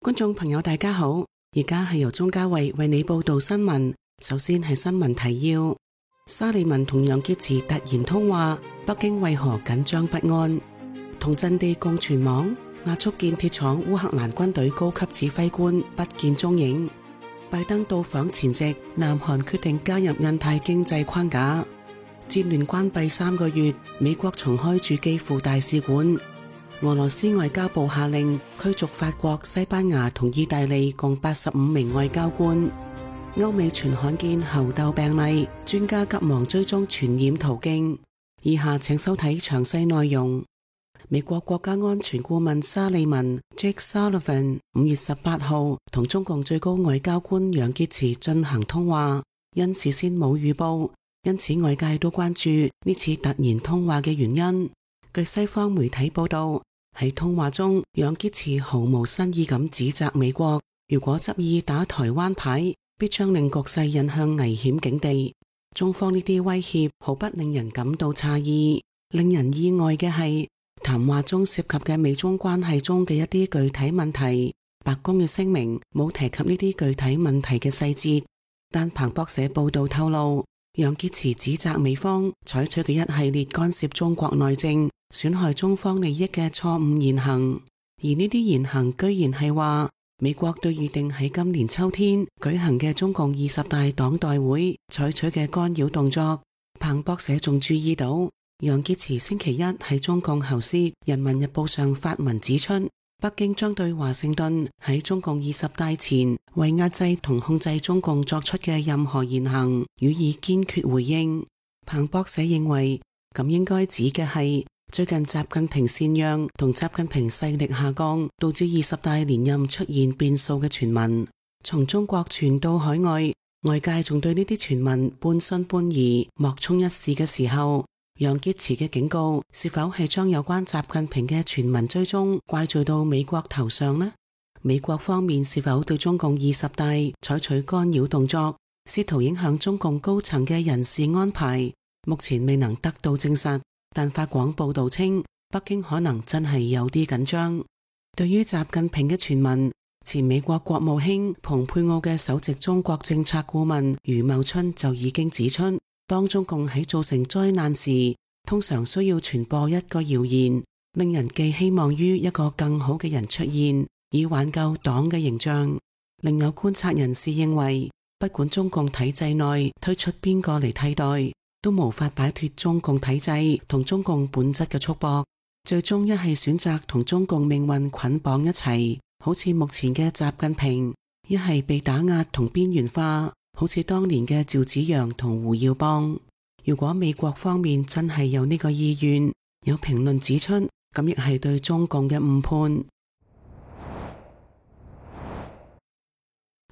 觀眾朋友大家好，而家係由鍾嘉慧為你報道新聞。首先係新聞提要：沙利文同楊潔篪突然通話，北京為何緊張不安？同陣地共存亡，亞速建鐵廠烏克蘭軍隊高級指揮官不見蹤影。拜登到訪前夕，南韓決定加入印太經濟框架。戰亂關閉3個月，美國重開駐基輔大使館。俄羅斯外交部下令驅逐法國、西班牙同意大利共85名外交官。歐美傳罕見猴痘病例，專家急忙追蹤傳染途徑。以下請收睇詳細內容。美國國家安全顧問沙利文 Jake Sullivan 5月18號同中共最高外交官楊潔篪進行通話，因事先冇預報，因此外界都關注呢次突然通話嘅原因。據西方媒體報道，喺通話中，楊潔篪毫無新意咁指責美國，如果執意打台灣牌，必將令局勢引向危險境地。中方呢啲威脅毫不令人感到詫異，令人意外嘅係，談話中涉及嘅美中關係中嘅一啲具體問題，白宮嘅聲明冇提及呢啲具體問題嘅細節，但彭博社報道透露，楊潔篪指責美方採取嘅一系列干涉中國內政、損害中方利益嘅錯誤言行，而呢啲言行居然係話美國對預定喺今年秋天舉行嘅中共20大黨代會採取嘅干擾動作。彭博社仲注意到，楊潔篪星期一喺中共喉舌《人民日報》上發文指出，北京將對華盛頓喺中共20大前為壓制同控制中共作出嘅任何言行予以堅決回應。彭博社認為，咁應該指嘅係最近習近平禪讓同習近平勢力下降，導致20大連任出現變數嘅傳聞，從中國傳到海外，外界仲對呢啲傳聞半信半疑、莫衷一是嘅時候，楊潔篪嘅警告是否係將有關習近平嘅傳聞追蹤怪罪到美國頭上呢？美國方面是否對中共20大採取干擾動作，試圖影響中共高層嘅人事安排？目前未能得到證實，但法廣報道稱，北京可能真係有啲緊張。對於習近平嘅傳聞，前美國國務卿蓬佩奧嘅首席中國政策顧問余茂春就已經指出，當中共喺造成災難時，通常需要傳播一個謠言，令人寄希望於一個更好嘅人出現，以挽救黨嘅形象。另有觀察人士認為，不管中共體制內推出邊個嚟替代，都無法擺脫中共體制同中共本質嘅束縛，最終一係選擇同中共命運捆綁一齊，好似目前嘅習近平；一係被打壓同邊緣化，好似當年嘅趙紫陽同胡耀邦。如果美國方面真係有呢個意願，有評論指出，咁亦係對中共嘅誤判。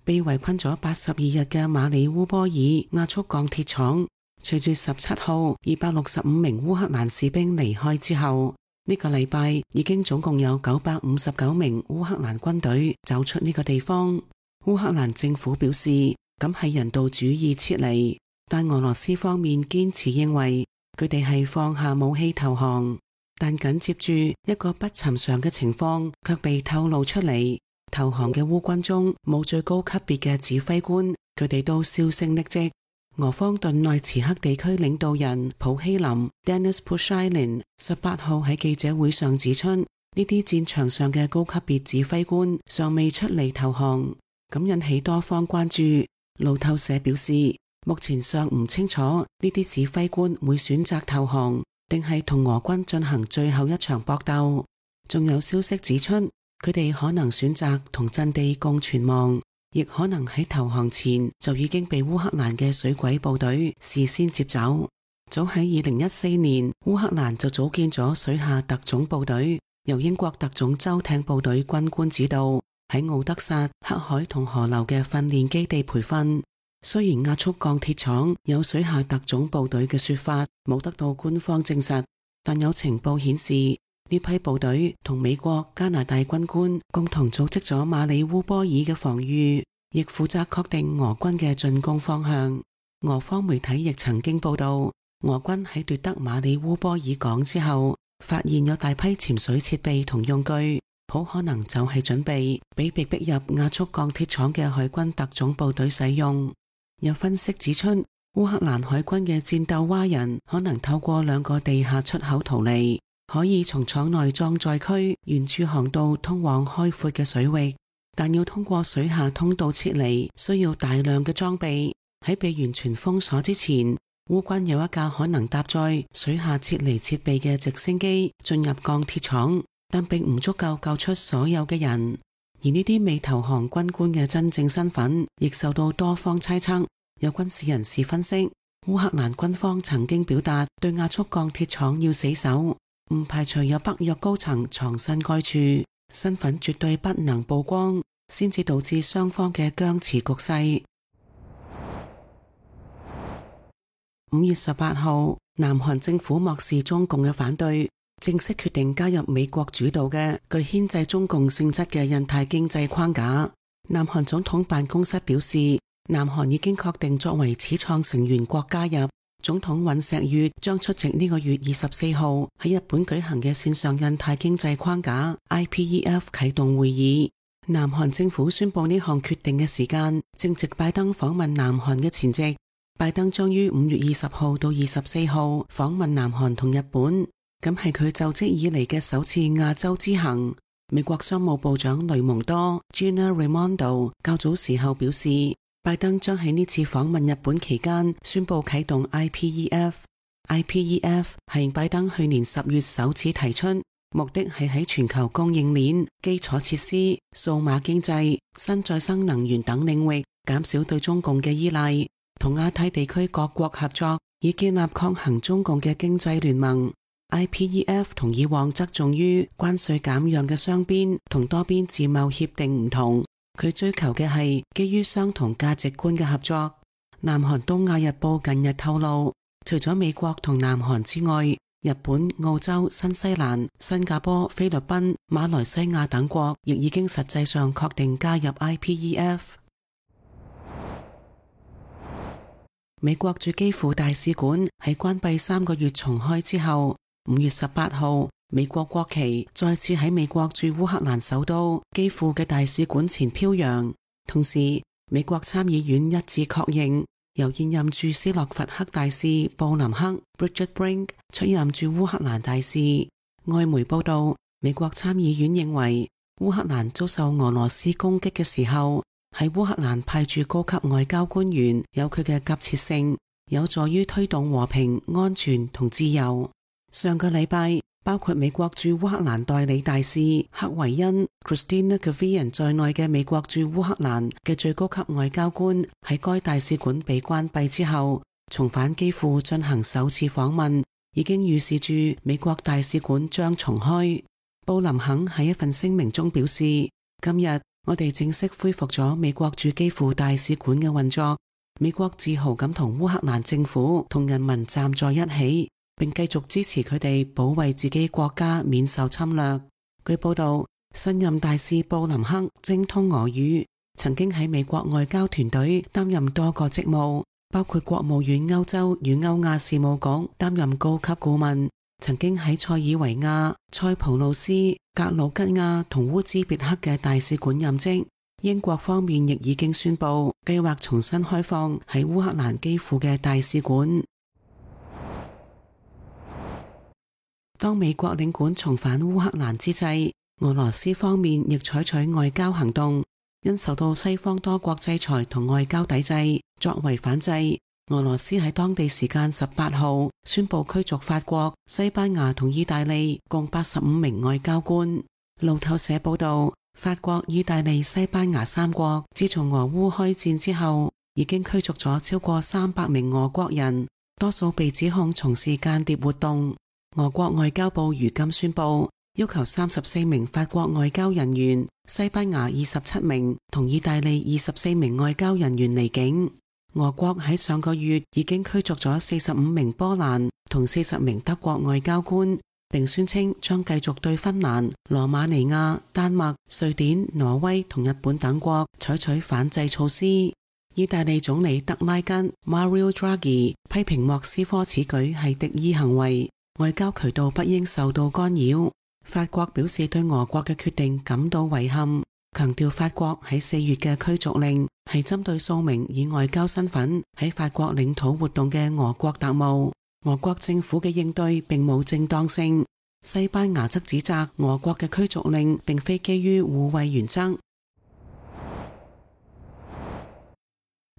被圍困咗82日嘅馬里烏波爾亞速鋼鐵廠，隨住17號265名烏克蘭士兵離開之後，呢個禮拜已經總共有959名烏克蘭軍隊走出呢個地方。烏克蘭政府表示，咁係人道主義撤離，但俄羅斯方面堅持認為佢哋係放下武器投降。但緊接住一個不尋常嘅情況卻被透露出嚟，投降嘅烏軍中冇最高級別嘅指揮官，佢哋都銷聲匿跡。俄方頓內茨克地區領導人普希林 Denis Pushilin 18號喺記者會上指出，呢啲戰場上嘅高級別指揮官尚未出嚟投降，咁引起多方關注。路透社表示，目前尚唔清楚呢啲指揮官會選擇投降，定係同俄軍進行最後一場搏鬥。仲有消息指出，佢哋可能選擇同陣地共存亡，亦可能喺投降前就已經被烏克蘭嘅水鬼部隊事先接走。早喺2014年，烏克蘭就組建咗水下特種部隊，由英國特種舟艇部隊軍官指導，喺奧德薩、黑海同河流嘅訓練基地培訓。雖然亞速鋼鐵廠有水下特種部隊嘅說法冇得到官方證實，但有情報顯示，呢批部隊同美國、加拿大軍官共同組織咗馬里烏波爾嘅防禦，亦負責確定俄軍嘅進攻方向。俄方媒體亦曾經報道，俄軍喺奪得馬里烏波爾港之後，發現有大批潛水設備同用具，好可能就係準備俾被逼入亞速鋼鐵廠嘅海軍特種部隊使用。有分析指出，烏克蘭海軍嘅戰鬥蛙人可能透過2個地下出口逃離，可以從廠內裝載區沿住航道通往開闊嘅水域，但要通過水下通道撤離，需要大量嘅裝備。喺被完全封鎖之前，烏軍有一架可能搭載水下撤離設備嘅直升機進入鋼鐵廠，但並唔足夠救出所有嘅人。而呢啲未投降軍官嘅真正身份亦受到多方猜測。有軍事人士分析，烏克蘭軍方曾經表達對亞速鋼鐵廠要死守，唔排除有北約高層藏身該處，身份絕對不能曝光，先至導致雙方嘅僵持局勢。5月18號，南韓政府漠視中共嘅反對，正式決定加入美國主導嘅具牽制中共性質嘅印太經濟框架。南韓總統辦公室表示，南韓已經確定作為始創成員國加入。總統尹錫悅將出席呢個月24號喺日本舉行嘅線上印太經濟框架 IPEF 啟動會議。南韓政府宣布呢項決定嘅時間，正值拜登訪問南韓嘅前夕。拜登將於5月20號到24號訪問南韓同日本，咁係佢就職以嚟嘅首次亞洲之行。美國商務部長雷蒙多 Gina Raimondo 較早時候表示，拜登將喺呢次訪問日本期間宣布啟動 IPEF。IPEF 係拜登去年10月首次提出，目的係喺全球供應鏈、基礎設施、數碼經濟、新再生能源等領域減少對中共嘅依賴，同亞太地區各國合作，以建立抗衡中共嘅經濟聯盟。IPEF 同以往側重於關稅減讓嘅雙邊同多邊自貿協定唔同，佢追求嘅係基於相同價值觀嘅合作。南韓東亞日報近日透露，除咗美國同南韓之外，日本、澳洲、新西蘭、新加坡、菲律賓、馬來西亞等國亦已經實際上確定加入 IPEF。美國駐基輔大使館喺關閉3個月重開之後，5月18號，美國國旗再次喺美國駐烏克蘭首都基輔嘅大使館前飄揚。同時，美國參議院一致確認，由現任駐斯洛伐克大使布林克 Bridget Brink 出任駐烏克蘭大使。外媒報道，美國參議院認為，烏克蘭遭受俄羅斯攻擊嘅時候，喺烏克蘭派駐高級外交官員有佢嘅急切性，有助於推動和平、安全同自由。上個禮拜，包括美國駐烏克蘭代理大使克維恩 Christina Gavian 在內嘅美國駐烏克蘭嘅最高級外交官喺該大使館被關閉之後，重返基輔進行首次訪問，已經預示住美國大使館將重開。布林肯喺一份聲明中表示，今日我哋正式恢復咗美國駐基輔大使館嘅運作。美國自豪咁同烏克蘭政府同人民站在一起，並繼續支持佢哋保衛自己國家免受侵略。據報道，新任大使布林克精通俄語，曾經喺美國外交團隊擔任多個職務，包括國務院歐洲與歐亞事務局擔任高級顧問，曾經喺塞爾維亞、塞浦路斯、格魯吉亞同烏茲別克嘅大使館任職。英國方面亦已經宣布計劃重新開放喺烏克蘭基輔嘅大使館。當美國領館重返烏克蘭之際，俄羅斯方面亦採取外交行動，因受到西方多國制裁同外交抵制，作為反制，俄羅斯喺當地時間18號宣布驅逐法國、西班牙同意大利共85名外交官。路透社報道，法國、意大利、西班牙3國自從俄烏開戰之後，已經驅逐咗超過300名俄國人，多數被指控從事間諜活動。俄國外交部如今宣布，要求34名法國外交人員、西班牙27名同意大利24名外交人員離境。俄國喺上個月已經驅逐咗45名波蘭同40名德國外交官，並宣稱將繼續對芬蘭、羅馬尼亞、丹麥、瑞典、挪威同日本等國採取反制措施。意大利總理德拉吉 Mario Draghi 批評莫斯科此舉係敵意行為，外交渠道不應受到干擾。法國表示對俄國嘅決定感到遺憾，強調法國喺4月嘅驅逐令係針對數名以外交身份喺法國領土活動嘅俄國特務。俄國政府嘅應對並冇正當性。西班牙則指責俄國嘅驅逐令並非基於互惠原則。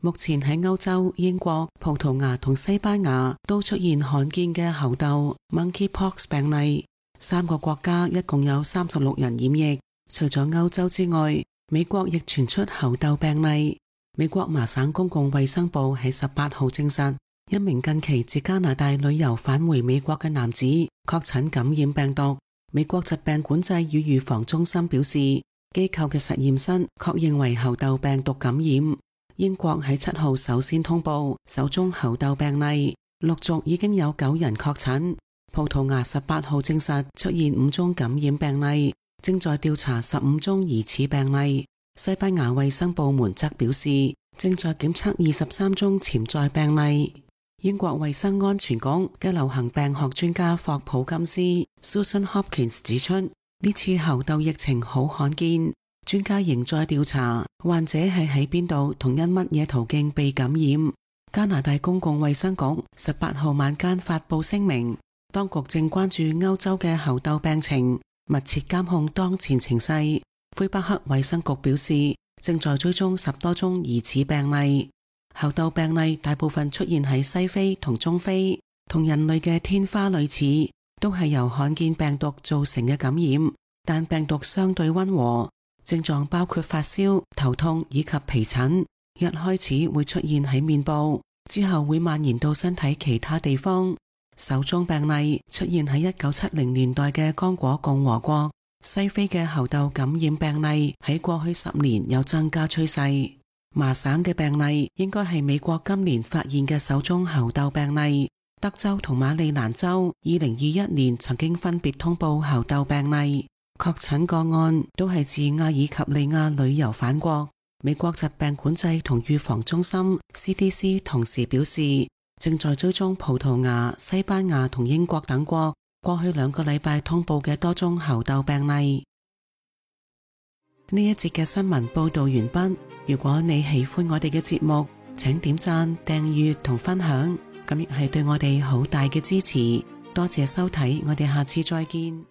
目前喺歐洲、英國、葡萄牙同西班牙都出現罕見嘅猴痘 （monkeypox） 病例，3個國家一共有36人染疫。除咗歐洲之外，美國亦傳出猴痘病例。美國麻省公共衛生部喺18號證實，一名近期自加拿大旅遊返回美國嘅男子確診感染病毒。美國疾病管制與預防中心表示，機構嘅實驗室確認為猴痘病毒感染。英國喺7號首先通報首宗猴痘病例，陸續已經有9人確診。葡萄牙18號證實出現5宗感染病例，正在調查15宗疑似病例。西班牙衛生部門則表示，正在檢測23宗潛在病例。英國衛生安全局嘅流行病學專家霍普金斯 Susan Hopkins 指出，呢次猴痘疫情好罕見，專家仍在調查患者係喺邊度同因乜嘢途徑被感染。加拿大公共衛生局18號晚間發佈聲明，當局正關注歐洲嘅猴痘病情，密切監控當前情勢。魁北克衛生局表示，正在追蹤10多宗疑似病例。猴痘病例大部分出現喺西非同中非，同人類嘅天花類似，都係由罕見病毒造成嘅感染，但病毒相對溫和，症狀包括發燒、頭痛以及皮疹。一開始會出現喺面部，之後會蔓延到身體其他地方。首宗病例出現喺1970年代嘅剛果共和國。西非嘅猴痘感染病例喺過去10年有增加趨勢。麻省嘅病例應該係美國今年發現嘅首宗猴痘病例。德州同馬里蘭州2021年曾經分別通報猴痘病例，確診個案都係自阿爾及利亞旅遊返國。美國疾病管制同預防中心 CDC 同時表示，正在追蹤葡萄牙、西班牙同英國等國過去2個禮拜通報嘅多宗猴痘病例。呢一節嘅新聞報道完畢。如果你喜歡我哋嘅節目，請點讚、訂閱同分享，咁亦係對我哋好大嘅支持。多謝收睇，我哋下次再見。